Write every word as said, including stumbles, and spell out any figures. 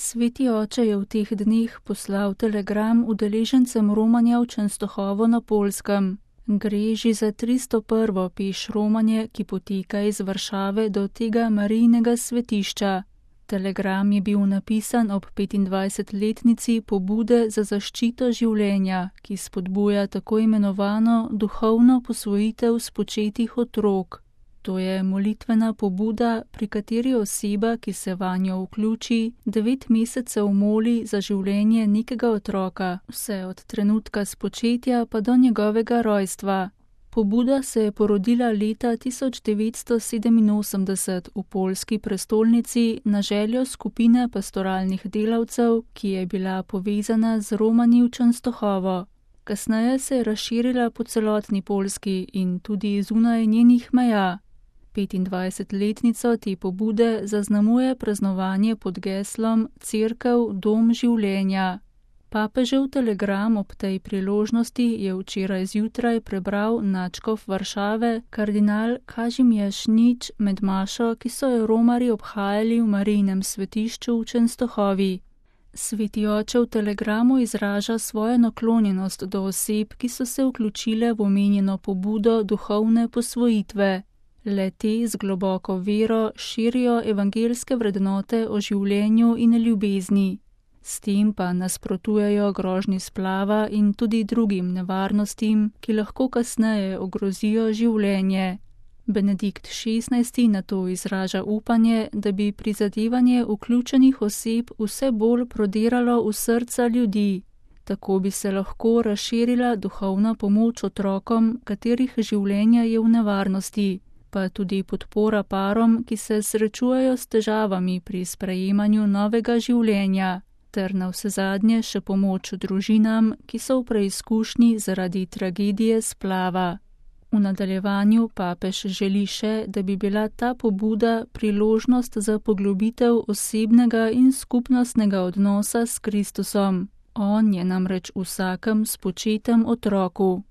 Sveti oče je v teh dneh poslal telegram udeležencem romanja v Częstochowo na Poljskem. Gre že za tristo prvo peš romanje, ki poteka iz Varšave do tega Marijinega svetišča. Telegram je bil napisan ob petindvajsetletnici pobude za zaščito življenja, ki spodbuja tako imenovano duhovno posvojitev spočetih otrok. To je molitvena pobuda, pri kateri oseba, ki se vanjo vključi, devet mesecev moli za življenje nekega otroka, vse od trenutka spočetja pa do njegovega rojstva. Pobuda se je porodila leta tisoč devetsto sedeminosemdeset v poljski prestolnici na željo skupine pastoralnih delavcev, ki je bila povezana z Romanji v Częstochowo. Kasneje se je razširila po celotni Poljski in tudi zunaj njenih meja. petindvajsetletnico te pobude zaznamuje praznovanje pod geslom Cerkev, dom življenja. Papežev telegram ob tej priložnosti je včeraj zjutraj prebral nadškof Varšave, kardinal Kazimierz Nič, med mašo, ki so jo romarji obhajali v Marijinem svetišču v Częstochowi. Sveti oče v telegramu izraža svojo naklonjenost do oseb, ki so se vključile v omenjeno pobudo duhovne posvojitve. Le te z globoko vero širijo evangelske vrednote o življenju in ljubezni. S tem pa nasprotujejo grožnji splava in tudi drugim nevarnostim, ki lahko kasneje ogrozijo življenje. Benedikt šestnajsti nato izraža upanje, da bi prizadevanje vključenih oseb vse bolj prodiralo v srca ljudi. Tako bi se lahko razširila duhovna pomoč otrokom, katerih življenje je v nevarnosti, pa tudi podpora parom, ki se srečujejo s težavami pri sprejemanju novega življenja, ter navsezadnje še pomoč družinam, ki so v preizkušnji zaradi tragedije splava. V nadaljevanju papež želi še, da bi bila ta pobuda priložnost za poglobitev osebnega in skupnostnega odnosa s Kristusom. On je namreč vsakem spočetem otroku.